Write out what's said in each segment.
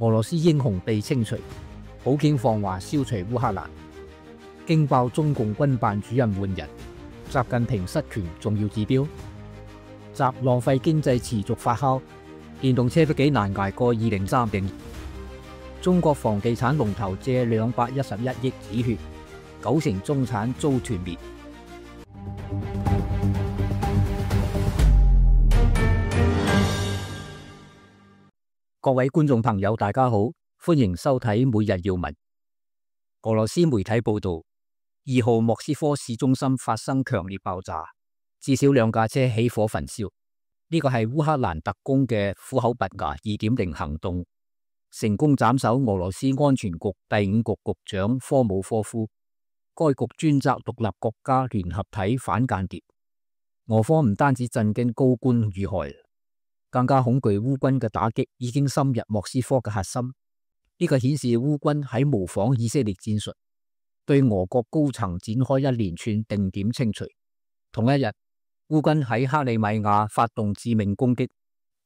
俄羅斯英雄被清除，普京放話消除烏克蘭，驚爆中共軍辦主任換人，習近平失權重要指標，習浪費經濟持續發酵，電動車都幾難捱過2030。中國房地產龍頭借211億止血，9成中產遭團滅。各位觀眾朋友，大家好，歡迎收睇每日要聞。俄羅斯媒體報道，2號莫斯科市中心發生強烈爆炸，至少2架車起火焚燒。呢個係烏克蘭特工嘅虎口拔牙 2.0 行動，成功斬首俄羅斯安全局第5局局長科姆科夫。該局專責獨立國家聯合體反間諜。俄方唔單止震驚高官遇害，更加恐懼烏軍嘅打擊已經深入莫斯科嘅核心。呢個顯示烏軍喺模仿以色列戰術，對俄國高層展開一連串定點清除。同一日，烏軍喺克里米亞發動致命攻擊，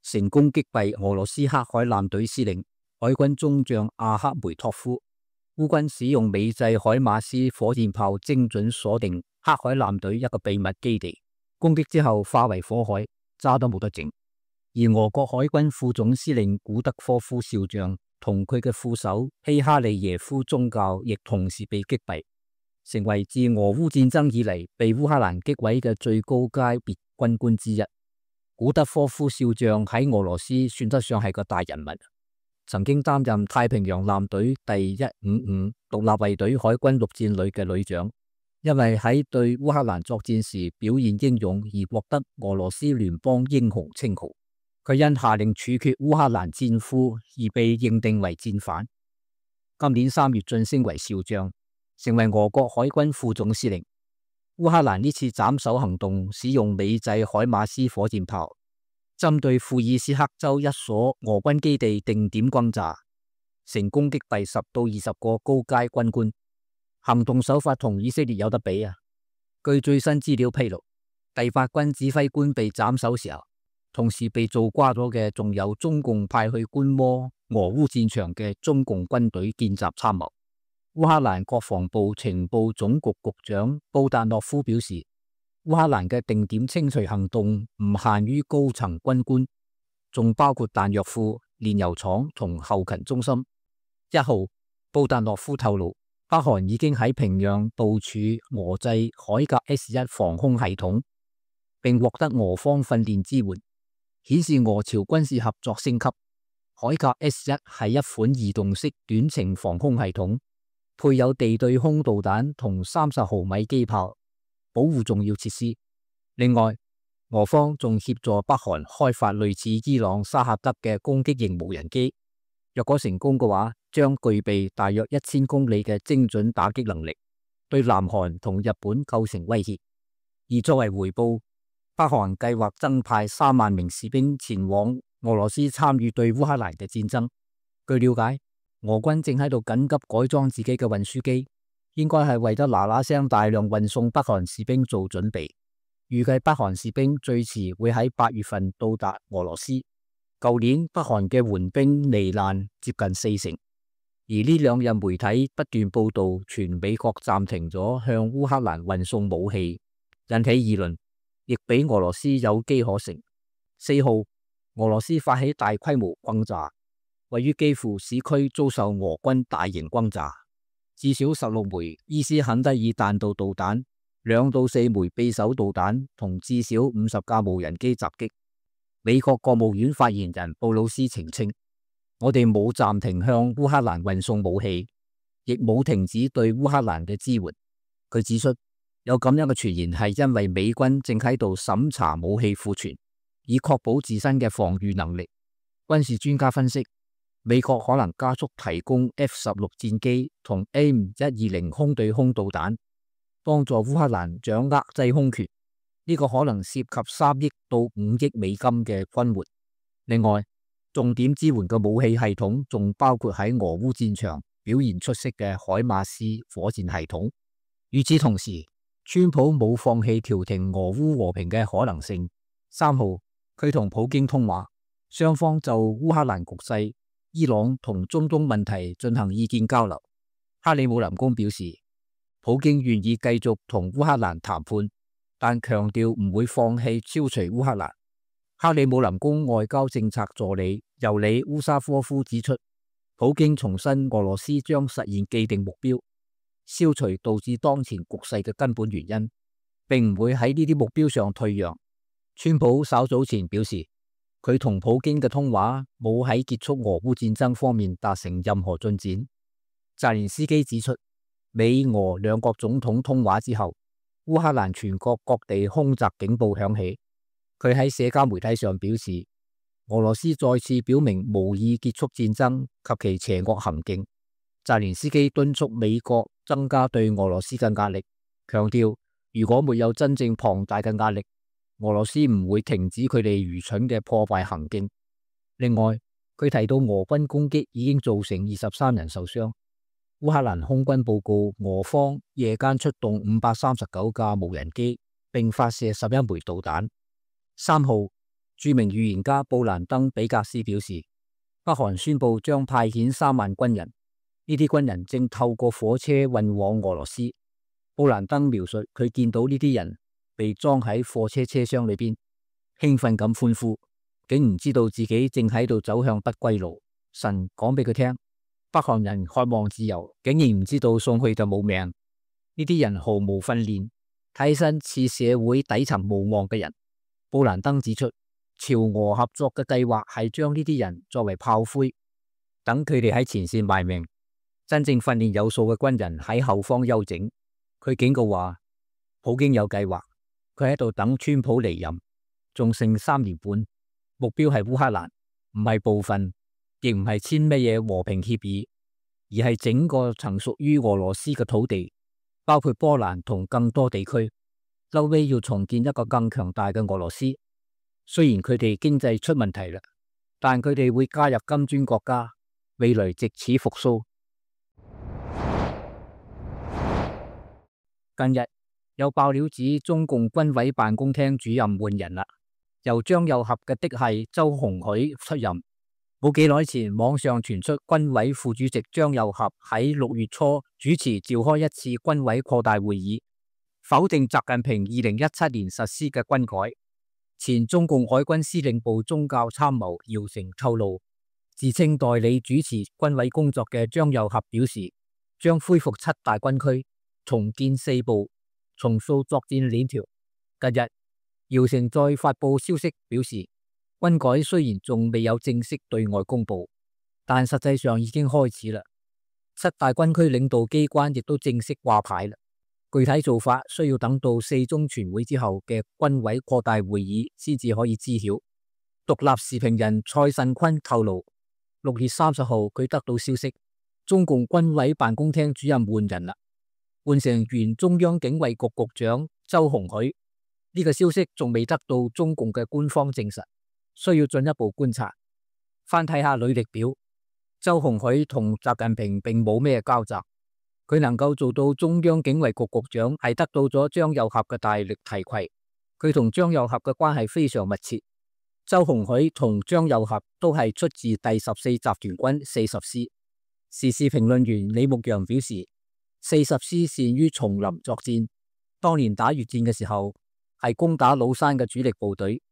成功擊斃俄羅斯黑海艦隊司令海軍中將阿克梅托夫。烏軍使用美製海馬斯火箭炮精準鎖定黑海艦隊一個秘密基地，攻擊之後化為火海，渣都冇得整。而俄國海軍副總司令古德科夫少將同佢嘅副手希哈利耶夫中校亦同時被擊斃，成為自俄烏戰爭以嚟被烏克蘭擊毀嘅最高階別軍官之一。古德科夫少將喺俄羅斯算得上係個大人物，曾經擔任太平洋艦隊第155獨立衛隊海軍陸戰旅嘅旅長，因為喺對烏克蘭作戰時表現英勇而獲得俄羅斯聯邦英雄稱號。佢因下令處決烏克蘭戰俘而被認定為戰犯。今年3月晉升為少將，成為俄國海軍副總司令。烏克蘭呢次斬首行動使用美製海馬斯火箭炮，針對庫爾斯克州一所俄軍基地定點轟炸，成功擊斃10到20個高階軍官。行動手法同以色列有得比啊！據最新資料披露，第8軍指揮官被斬首時候，同時被做瓜咗嘅仲有中共派去觀摩俄烏戰場嘅中共軍隊見習參謀。烏克蘭國防部情報總局局長布達諾夫表示，烏克蘭嘅定點清除行動唔限於高層軍官，仲包括彈藥庫、煉油廠同後勤中心。1號，布達諾夫透露，北韓已經喺平壤部署俄製海格 S1 防空系統，並獲得俄方訓練支援，顯示俄朝軍事合作升級。海格 S1 係一款移動式短程防空系統，配有地對空導彈同30毫米機炮，保護重要設施。另外，俄方仲協助北韓開發類似伊朗沙赫德嘅攻擊型無人機，若果成功嘅話，將具備大約1000公里嘅精準打擊能力，對南韓同日本構成威脅。而作為回報，北韓計劃增派3萬名士兵前往俄羅斯參與對烏克蘭嘅戰爭。據了解，俄軍正喺度緊急改裝自己嘅運輸機，應該係為咗嗱聲大量運送北韓士兵做準備。預計北韓士兵最遲會喺8月份到達俄羅斯。舊年北韓嘅援兵罹難接近40%，而呢2日媒體不斷報道全美國暫停咗向烏克蘭運送武器，引起議論，亦俾俄羅斯有機可乘。4號，俄羅斯發起大規模轟炸，位於基輔市區遭受俄軍大型轟炸，至少16枚伊斯肯德爾彈道導彈、2到4枚匕首導彈同至少50架無人機襲擊。美國國務院發言人布魯斯澄清，我哋冇暫停向烏克蘭運送武器，亦冇停止對烏克蘭嘅支援。佢指出，有咁樣嘅傳言係因為美軍正喺度審查武器庫存，以確保自身嘅防禦能力。軍事專家分析，美國可能加速提供 F-16 戰機同 AIM-120空對空導彈，幫助烏克蘭掌握制空權。呢個可能涉及3億到5億美金嘅軍援。另外，重點支援嘅武器系統仲包括喺俄烏戰場表現出色嘅海馬斯火箭系統。與此同時，川普冇放棄調停俄烏和平嘅可能性。3號，佢同普京通話，雙方就烏克蘭局勢、伊朗同中東問題進行意見交流。克里姆林宮表示，普京願意繼續同烏克蘭談判，但強調唔會放棄消除烏克蘭。克里姆林宮外交政策助理尤里烏沙科夫指出，普京重申俄羅斯將實現既定目標，消除導致當前局勢嘅根本原因，並唔會喺呢啲目標上退讓。川普稍早前表示，佢同普京嘅通話冇喺結束俄烏戰爭方面達成任何進展。澤連斯基指出，美俄兩國總統通話之後，烏克蘭全國各地空襲警報響起。佢喺社交媒體上表示，俄羅斯再次表明無意結束戰爭及其邪惡行徑。澤連斯基敦促美國增加對俄羅斯嘅壓力，強調如果沒有真正龐大嘅壓力，俄羅斯唔會停止佢哋愚蠢嘅破壞行徑。另外，佢提到俄軍攻擊已經造成23人受傷。烏克蘭空軍報告，俄方夜間出動539架無人機，並發射11枚導彈。3號，著名預言家布蘭登比格斯表示，北韓宣布將派遣3萬軍人，呢啲軍人正透過火車運往俄羅斯。布蘭登描述佢見到呢啲人被裝喺貨車車廂裏邊，興奮咁歡呼，竟唔知道自己正喺度走向不歸路。神講俾佢聽，北韓人渴望自由，竟然唔知道送去就冇命。呢啲人毫無訓練，睇起身似社會底層無望嘅人。布蘭登指出，朝俄合作嘅計劃係將呢啲人作為炮灰，等佢哋喺前線賣命。真正訓練有素嘅軍人喺後方休整。佢警告話，普京有計劃，佢喺度等川普離任，仲剩3年半，目標係烏克蘭，唔係部分，亦唔係簽乜嘢和平協議，而係整個曾屬於俄羅斯嘅土地，包括波蘭同更多地區。後尾要重建一個更強大嘅俄羅斯。雖然佢哋經濟出問題啦，但佢哋會加入金磚國家，未來藉此復甦。近日有爆料指中共軍委辦公廳主任換人啦，由張又俠嘅嫡系周鴻許出任。冇幾耐前，網上傳出軍委副主席張又俠喺6月初主持召開一次軍委擴大會議，否定習近平2017年實施嘅軍改。前中共海軍司令部宗教參謀姚成透露，自稱代理主持軍委工作嘅張又俠表示，將恢復7大軍區，重建4部，重塑作戰鏈條。近日，姚成再發布消息表示，軍改雖然仲未有正式對外公布，但實際上已經開始啦。7大軍區領導機關亦都正式掛牌啦。具體做法需要等到4中全會之後嘅軍委擴大會議先至可以知曉。獨立時評人蔡慎坤透露，6月30號佢得到消息，中共軍委辦公廳主任換人啦，換成原中央警衛局局長周鴻許。呢個消息仲未得到中共嘅官方證實，需要進一步觀察。翻睇下履歷表，周鴻許同習近平並冇咩交集。佢能夠做到中央警衛局局長，係得到咗張又俠嘅大力提攜。佢同張又俠嘅關係非常密切。周鴻許同張又俠都係出自第14集團軍40師。時事評論員李牧陽表示，40師善於叢林作戰，當年打越戰嘅時候係攻打老山嘅主力部隊。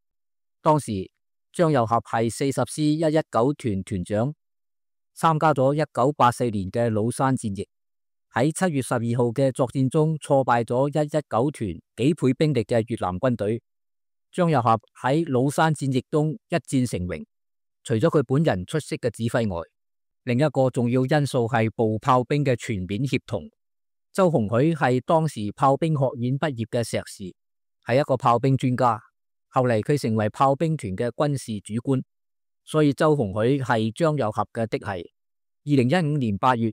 當時張又俠係40師119團團長，參加咗1984年嘅老山戰役。喺7月12號嘅作戰中挫敗咗119團幾倍兵力嘅越南軍隊。張又俠喺老山戰役中一戰成名，除咗佢本人出色嘅指揮外，另一個重要因素係步炮兵嘅全面協同。周鴻許係當時炮兵學院畢業嘅碩士，係一個炮兵專家。後嚟佢成為炮兵團嘅軍事主官，所以周鴻許係張又俠嘅嫡系。2015年8月，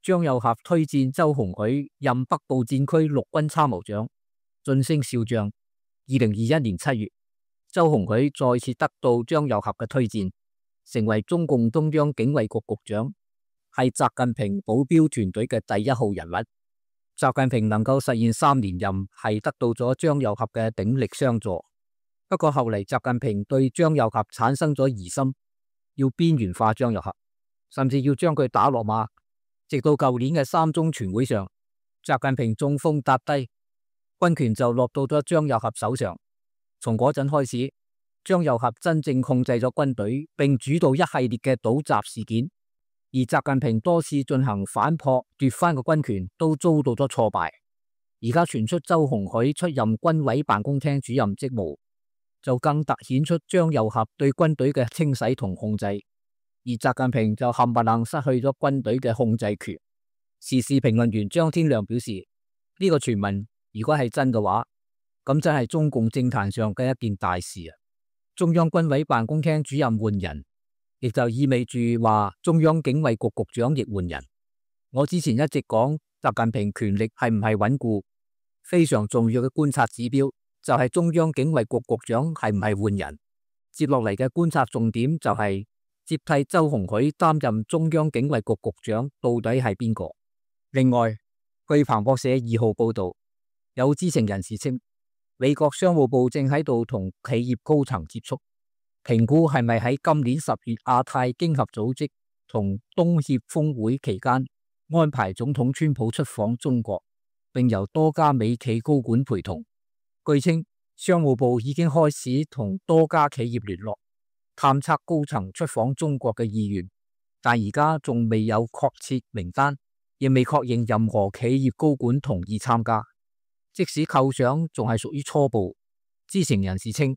張又俠推薦周鴻許任北部戰區陸軍參謀長，晉升少將。2021年7月，周鴻許再次得到張又俠嘅推薦，成為中共中央警衛局局長，係習近平保鏢團隊嘅第1號人物。習近平能夠實現3連任，係得到咗張又俠嘅鼎力相助。不過後嚟習近平對張又俠產生咗疑心，要邊緣化張又俠。甚至要將佢打落馬。直到舊年嘅3中全會上，習近平中風搭低，軍權就落到咗張又俠手上。從嗰陣開始，張又俠真正控制咗軍隊，並主導一系列嘅倒習事件。而習近平多次進行反撲奪翻個軍權，都遭到咗挫敗。而家傳出周鴻恠出任軍委辦公廳主任職務，就更凸顯出張又俠對軍隊嘅清洗同控制。而習近平就冚唪唥失去咗軍隊嘅控制權。時事評論員張天亮表示，呢個傳聞如果係真嘅話，咁真係中共政壇上嘅一件大事啊！中央軍委辦公廳主任換人，亦就意味住話中央警衛局局長亦換人。我之前一直講習近平權力係唔係穩固，非常重要嘅觀察指標就係中央警衛局局長係唔係換人。接落嚟嘅觀察重點就係接替周鴻恠擔任中央警衛局局長到底係邊個？另外，據彭博社2號報道，有知情人士稱，美國商務部正喺度同企業高層接觸，評估係咪喺今年10月亞太經合組織同東協峰會期間安排總統川普出訪中國，並由多家美企高管陪同。據稱，商務部已經開始同多家企業聯絡，探測高層出訪中國嘅意願，但而家仲未有確切名單，亦未確認任何企業高管同意參加。即使構想仲係屬於初步，知情人士稱，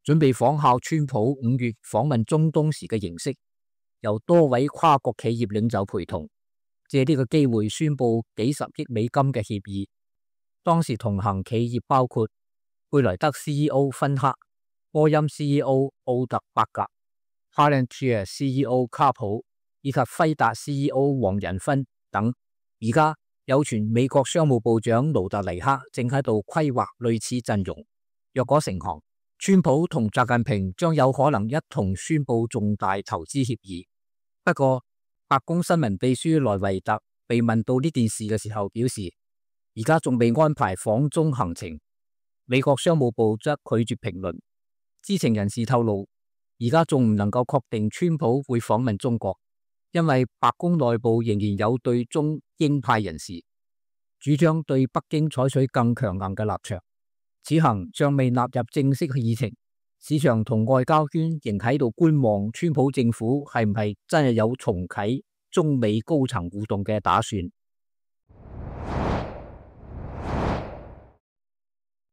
準備仿效川普5月訪問中東時嘅形式，由多位跨國企業領袖陪同，借呢個機會宣布幾十億美金嘅協議。當時同行企業包括貝萊德 CEO 芬克、波音 CEO 奧特伯格、Palantir CEO 卡普以及輝達 CEO 黃仁勳等。而家有傳美國商務部長盧特尼克正喺度規劃類似陣容，若果成行，川普同習近平將有可能一同宣布重大投資協議。不過，白宮新聞秘書萊維特被問到呢件事嘅時候表示，而家仲未安排訪中行程。美國商務部則拒絕評論。知情人士透露，而家仲唔能夠確定川普會訪問中國，因為白宮內部仍然有對中鷹派人士主張對北京採取更強硬嘅立場。此行尚未納入正式議程，市場同外交圈仍喺度觀望川普政府係唔係真係有重啟中美高層互動嘅打算。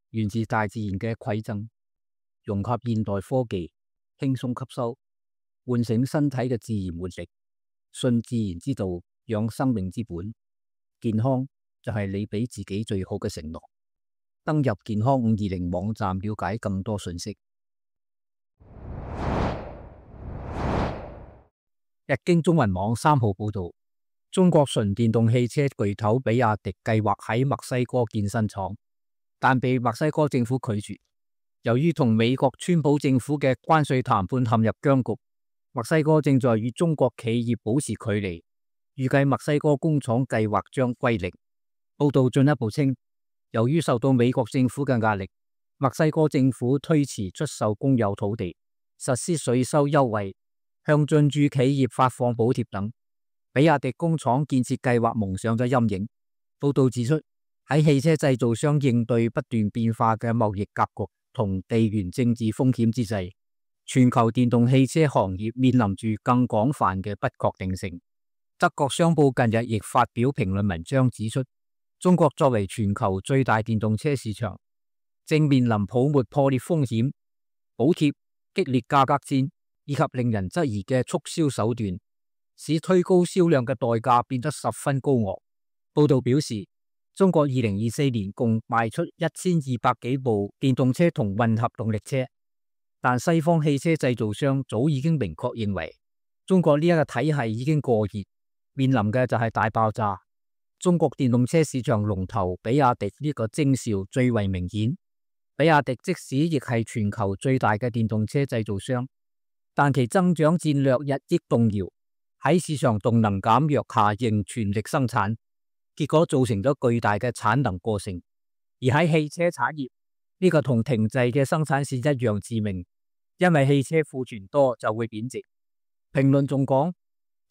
源自大自然嘅饋贈，融合現代科技，輕鬆吸收，喚醒身體嘅自然活力，信自然之道，養生命之本。健康就係你俾自己最好嘅承諾。登入健康520網站了解更多信息。日經中文網3號報道，中國純電動汽車巨頭比亞迪計劃喺墨西哥建新廠，但被墨西哥政府拒絕。由於同美國川普政府嘅關稅談判陷入僵局，墨西哥正在與中國企業保持距離，預計墨西哥工廠計劃將歸零。報道進一步稱，由於受到美國政府嘅壓力，墨西哥政府推遲出售公有土地，實施稅收優惠，向進駐企業發放補貼等，比亞迪工廠建設計劃蒙上咗陰影。報道指出，喺汽車製造商應對不斷變化嘅貿易格局同地緣政治風險之際，全球電動汽車行業面臨住更廣泛嘅不確定性。德國商報近日亦發表評論文章指出，中國作為全球最大電動車市場，正面臨泡沫破裂風險，補貼、激烈價格戰以及令人質疑嘅促銷手段，使推高銷量嘅代價變得十分高昂。報道表示，中國2024年共賣出1200幾部電動車同混合動力車，但西方汽車製造商早已經明確認為，中國呢一個體系已經過熱，面臨嘅就係大爆炸。中國電動車市場龍頭比亞迪呢個徵兆最為明顯。比亞迪即使亦係全球最大嘅電動車製造商，但其增長戰略日益動搖，喺市場動能減弱下仍全力生產，結果造成咗巨大嘅產能過剩。而喺汽車產業，呢個同停滯嘅生產線一樣致命，因為汽車庫存多就會貶值。評論仲講，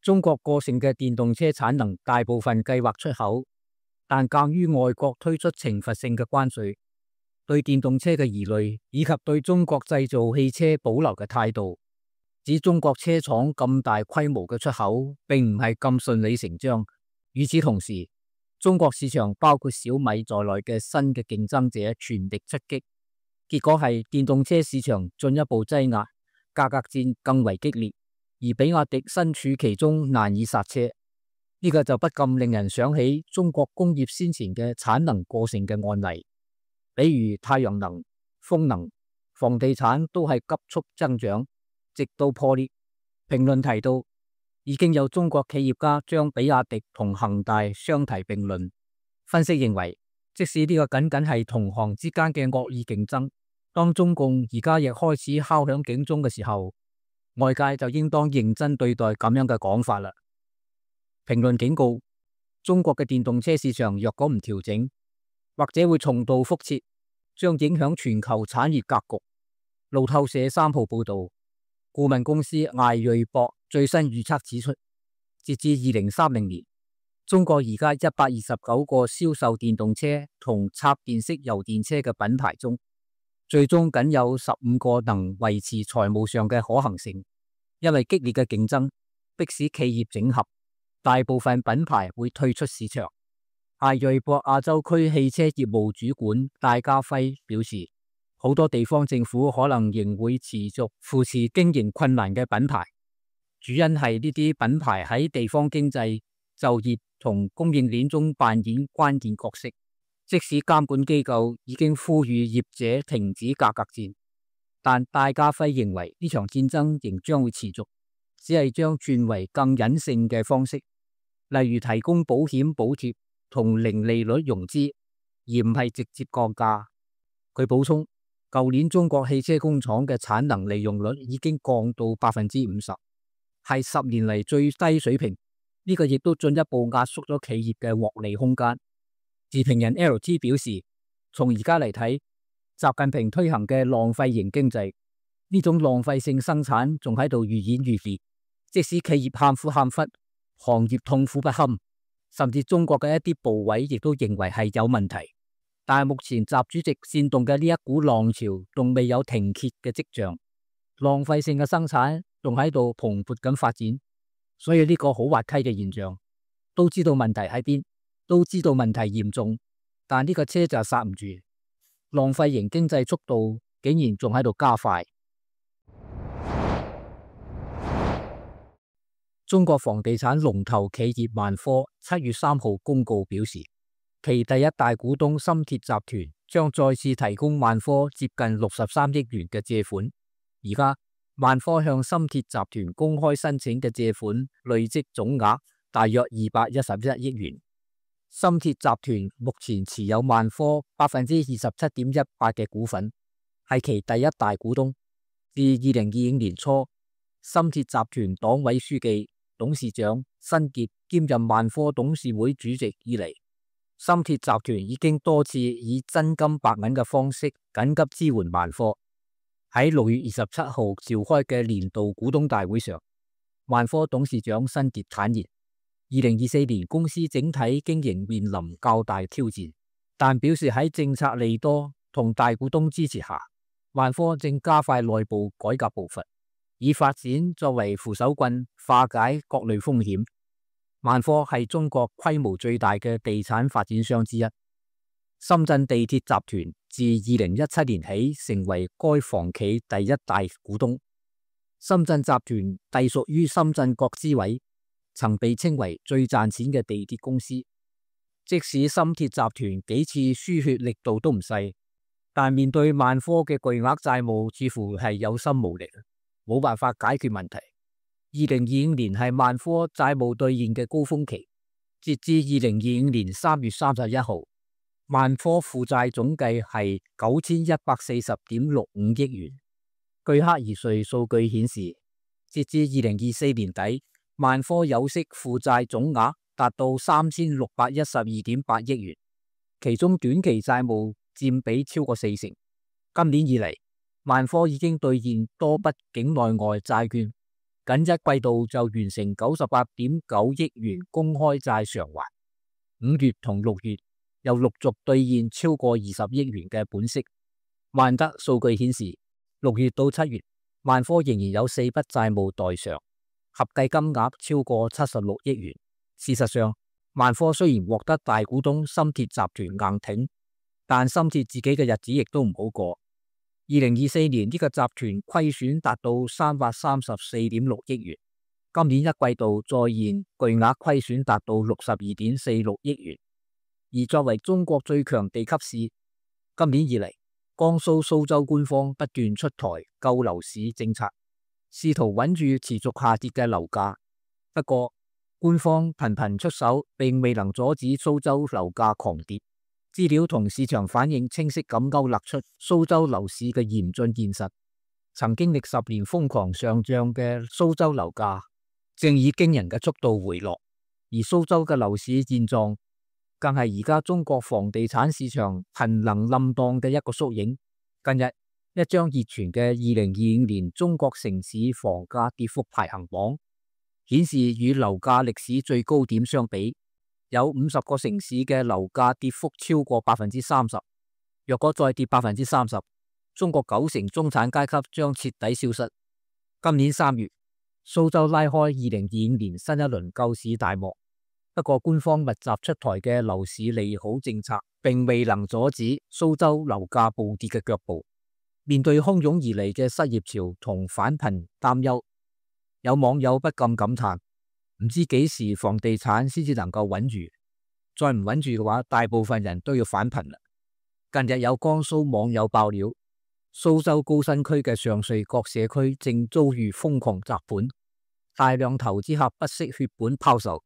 中國過剩嘅電動車產能大部分計劃出口，但鑒於外國推出懲罰性嘅關稅，對電動車嘅疑慮以及對中國製造汽車保留嘅態度，指中國車廠咁大規模嘅出口並唔係咁順理成章。與此同時，中國市場包括小米在內嘅新嘅競爭者全力出擊，結果係電動車市場進一步擠壓，價格戰更為激烈，而比亞迪身處其中難以剎車。呢個就不禁令人想起中國工業先前嘅產能過剩嘅案例，比如太陽能、風能、房地產都係急速增長，直到破裂。評論提到，已經有中國企業家將比亞迪同恒大相提並論。分析認為，即使呢個僅僅係同行之間嘅惡意競爭，當中共而家亦開始敲響警鐘嘅時候，外界就應當認真對待咁樣嘅講法啦。評論警告，中國嘅電動車市場若果唔調整，或者會重蹈覆轍，將影響全球產業格局。路透社3號報道，顧問公司艾瑞博最新預測指出，截至2030年，中國而家129個銷售電動車同插電式油電車嘅品牌中，最終僅有15個能維持財務上嘅可行性，因為激烈嘅競爭迫使企業整合，大部分品牌會退出市場。艾瑞博亞洲區汽車業務主管戴家輝表示，好多地方政府可能仍會持續扶持經營困難嘅品牌，主因係呢啲品牌喺地方經濟、就業同供應鏈中扮演關鍵角色。即使監管機構已經呼籲業者停止價格戰，但戴家輝認為呢場戰爭仍將會持續，只係將轉為更隱性嘅方式，例如提供保險補貼同零利率融資，而唔係直接降價。佢補充，舊年中國汽車工廠嘅產能利用率已經降到50%，係10年嚟最低水平。呢個亦都進一步壓縮咗企業嘅獲利空間。時評人 LT 表示，從而家嚟睇，習近平推行嘅浪費型經濟，呢種浪費性生產仲喺度愈演愈烈。即使企業喊苦喊忽，行業痛苦不堪，甚至中國嘅一啲部委亦都認為係有問題，但係目前習主席煽動嘅呢一股浪潮仲未有停歇嘅跡象，浪費性嘅生產仲喺度蓬勃咁發展。所以呢個好滑稽嘅現象，都知道問題喺邊，都知道問題嚴重，但呢個車就剎唔住，浪費型經濟速度竟然仲喺度加快。中國房地產龍頭企業萬科7月3號公告表示，其第一大股東深鐵集團將再次提供萬科接近63億元嘅借款。而家萬科向深鐵集團公開申請嘅借款累積總額大約211億元。深鐵集團目前持有萬科27.18%嘅股份，係其第一大股東。自2025年初，深鐵集團黨委書記、董事長辛傑兼任萬科董事會主席以嚟，深鐵集團已經多次以真金白銀嘅方式緊急支援萬科。喺6月27號召開嘅年度股東大會上，萬科董事長辛傑坦言，2024年公司整體經營面臨較大挑戰，但表示喺政策利多同大股東支持下，萬科正加快內部改革步伐，以發展作為扶手棍，化解各類風險。萬科係中國規模最大嘅地產發展商之一。深圳地鐵集團自2017年起成為該房企第一大股東。深圳集團隸屬於深圳國資委，曾被稱為最賺錢嘅地鐵公司。即使深鐵集團幾次輸血力度都唔細，但面對萬科嘅巨額債務，似乎係有心無力，冇辦法解決問題。2025年係萬科債務兌現嘅高峰期，截至2025年3月31號，萬科負債總計係9140.65億元。據克爾瑞數據顯示，截至2024年底，萬科有息負債總額達到3612.8億元，其中短期債務佔比超過40%。今年以嚟，萬科已經兌現多筆境內外債券，僅一季度就完成98.9億元公開債償還。5月同6月又陸續兌現超過20億元嘅本息。萬得數據顯示，6月到7月，萬科仍然有4筆債務待償，合計金額超過76億元。事實上，萬科雖然獲得大股東深鐵集團硬挺，但深鐵自己嘅日子亦都唔好過。2024年呢個集團虧損達到334.6億元，今年一季度再現巨額虧損達到62.46億元。而作為中國最強地級市，今年以嚟，江蘇蘇州官方不斷出台救樓市政策，試圖穩住持續下跌嘅樓價。不過，官方頻頻出手，並未能阻止蘇州樓價狂跌。資料同市場反應清晰咁勾勒出蘇州樓市嘅嚴峻現實。曾經歷10年瘋狂上漲嘅蘇州樓價，正以驚人嘅速度回落。而蘇州嘅樓市現狀，更係而家中國房地產市場瀕臨冧檔嘅一個縮影。近日，一張熱傳嘅2025年中國城市房價跌幅排行榜顯示，與樓價歷史最高點相比，有50個城市嘅樓價跌幅超過30%。若果再跌30%，中國90%中產階級將徹底消失。今年3月，蘇州拉開2025年新一輪救市大幕。不過，官方密集出台嘅樓市利好政策，並未能阻止蘇州樓價暴跌嘅腳步。面對洶湧而嚟嘅失業潮同返貧擔憂，有網友不禁感嘆：唔知幾時房地產先至能夠穩住？再唔穩住嘅話，大部分人都要返貧啦。近日有江蘇網友爆料，蘇州高新區嘅上瑞角社區正遭遇瘋狂砸盤，大量投資客不惜血本拋售，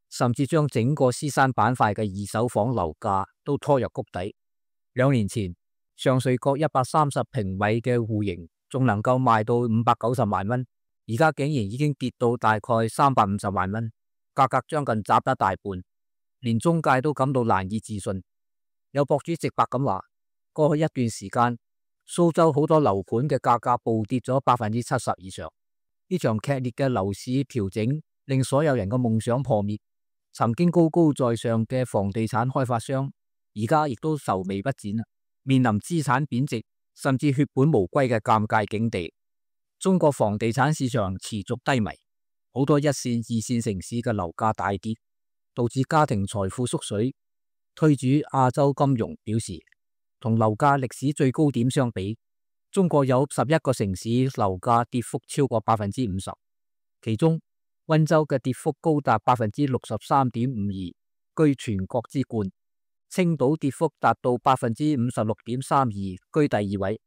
甚至將整個獅山板塊嘅二手房樓價都拖入谷底。2年前，上瑞角130平米嘅戶型仲能夠賣到590萬蚊，而家竟然已經跌到大概350萬蚊，價格將近砸得大半，連中介都感到難以置信。有博主直白咁話，過去一段時間，蘇州好多樓盤嘅價格暴跌咗70%以上。呢場劇烈嘅樓市調整令所有人嘅夢想破滅。曾經高高在上嘅房地產開發商，而家亦都愁眉不展啦，面臨資產貶值甚至血本無歸嘅尷尬境地。中國房地產市場持續低迷，好多一線、二線城市嘅樓價大跌，導致家庭財富縮水。推主亞洲金融表示，同樓價歷史最高點相比，中國有11個城市樓價跌幅超過50%，其中溫州嘅跌幅高達63.52%，居全國之冠。青島跌幅達到56.32%，居第2位。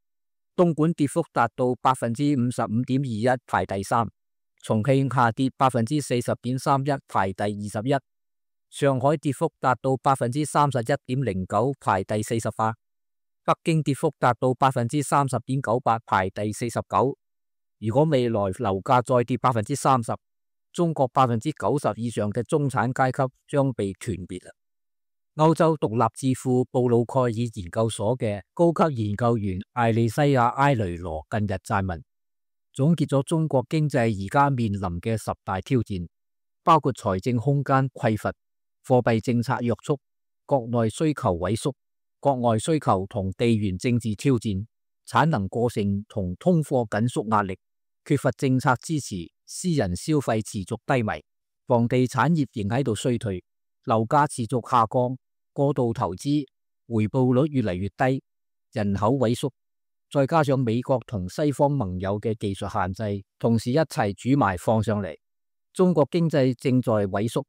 東莞跌幅達到55.21%，排第3。重慶下跌40.31%，排第21。上海跌幅達到31.09%，排第48。北京跌幅達到30.98%，排第49。如果未來樓價再跌30%，中國90%以上嘅中產階級將被團滅啦。歐洲獨立智庫布魯蓋爾研究所嘅高級研究員艾利西亞埃雷羅近日撰文，總結咗中國經濟而家面臨嘅10大挑戰，包括財政空間匱乏、貨幣政策約束、國內需求萎縮、國外需求同地緣政治挑戰、產能過剩同通貨緊縮壓力、缺乏政策支持、私人消費持續低迷、房地產業仍喺度衰退、樓價持續下降、過度投資、回報率越嚟越低、人口萎縮，再加上美國同西方盟友嘅技術限制，同時一齊煮埋放上嚟，中國經濟正在萎縮。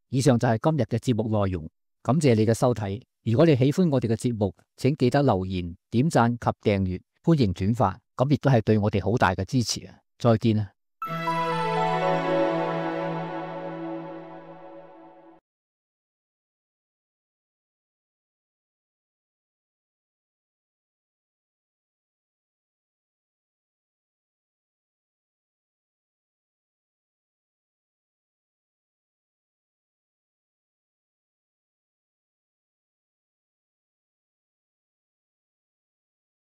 以上就係今日嘅節目內容，感謝你嘅收睇。如果你喜歡我哋嘅節目，請記得留言、點讚及訂閱，歡迎轉發，咁亦都係對我哋好大嘅支持啊！再見啊！